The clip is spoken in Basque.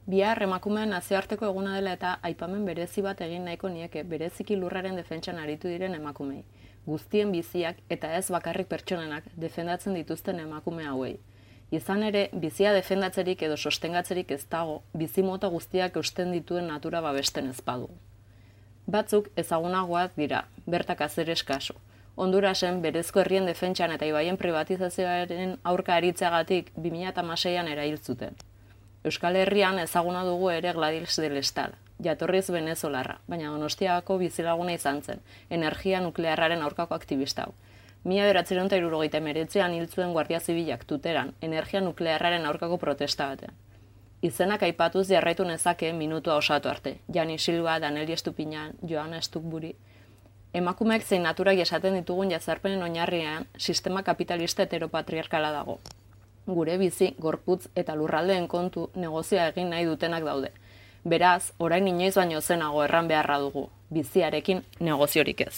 Bihar emakumeen nazioarteko eguna dela eta aipamen berezi bat egin nahiko nieke bereziki lurraren defentsan aritu diren emakumei. Guztien biziak eta ez bakarrik pertsonenak defendatzen dituzten emakume hauei. Izan ere, bizia defendatzerik edo sostengatzerik ez dago, bizimota guztiak eusten dituen natura babesten ez badu. Batzuk ezagunagoak dira, Berta Cáceres kasu. Hondurasen berezko herrien defentsan eta ibaien privatizazioaren aurka aritzeagatik 2016an erail zuten. Euskal Herrian ezaguna dugu ere Gladys del Estal, jatorriz venezolarra, baina Donostiako bizilaguna izan zen, energia nuklearraren aurkako aktivista hau. 1979an hil zuen Guardia Zibilak Tuteran, energia nuklearraren aurkako protesta batean. Izenak aipatuz jarraitu nezake minutua osatu arte. Jani Silva, Daneli Estupiñan, Joana Stukburi. Emakumeek zein naturak esaten ditugun jazarpenen oinarrian sistema kapitalista heteropatriarkala dago. Gure bizi, gorputz eta lurraldeen kontu negozioa egin nahi dutenak daude. Beraz, orain inoiz baino zenago erran beharra dugu, biziarekin negoziorik ez.